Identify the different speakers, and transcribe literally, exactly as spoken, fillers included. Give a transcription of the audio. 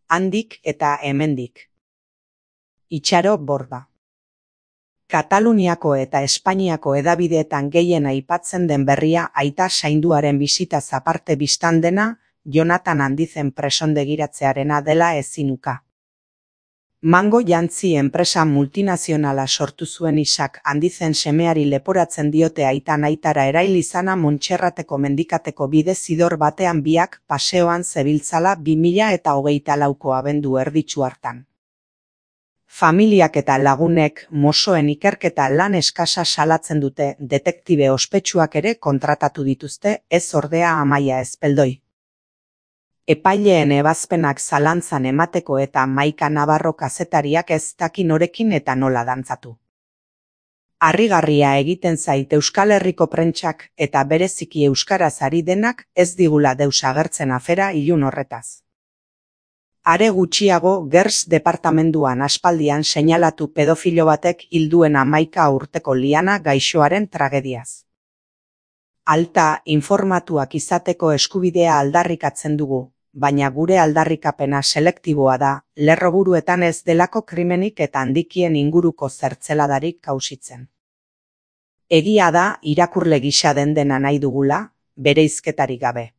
Speaker 1: handik eta hemendik. Itxaro Borda. Kataluniako eta Espainiako hedabideetan gehien aipatzen den berria aita zainduaren bisitaz aparte bistan dena Jonatan Handizen presondegiratzearena dela ezinuka. Mango jantzi enpresa multinazionala sortu zuen Isak Handizen semeari leporatzen diote aitan aitara erail izana Montserrateko mendikateko bide zidor batean biak paseoan zebiltzala bi mila eta hogeita lauko abendu erditsu hartan. Familiak eta lagunek mosoen ikerketa lan eskasa salatzen dute, detektibe ospetsuak ere kontratatu dituzte, ez ordea Amaia Ezpeldoi. Epaileen ebazpenak zalantzan emateko eta Maika Navarro kazetariak ez daki norekin eta nola dantzatu. Harrigarria egiten zait Euskal Herriko prentsak eta bereziki euskaraz ari denak ez digula deus agertzen afera ilun horretaz. Are gutxiago Gers departamenduan aspaldian seinalatu pedofilo batek hilduen hamaika urteko Liana gaixoaren tragediaz. Alta informatuak izateko eskubidea aldarrikatzen dugu, baina gure aldarrikapena selektiboa da, lerroburuetan ez delako krimenik eta handikien inguruko zertzeladarik kausitzen. Egia da irakurle gisa den dena nahi dugula, bereizketarik gabe.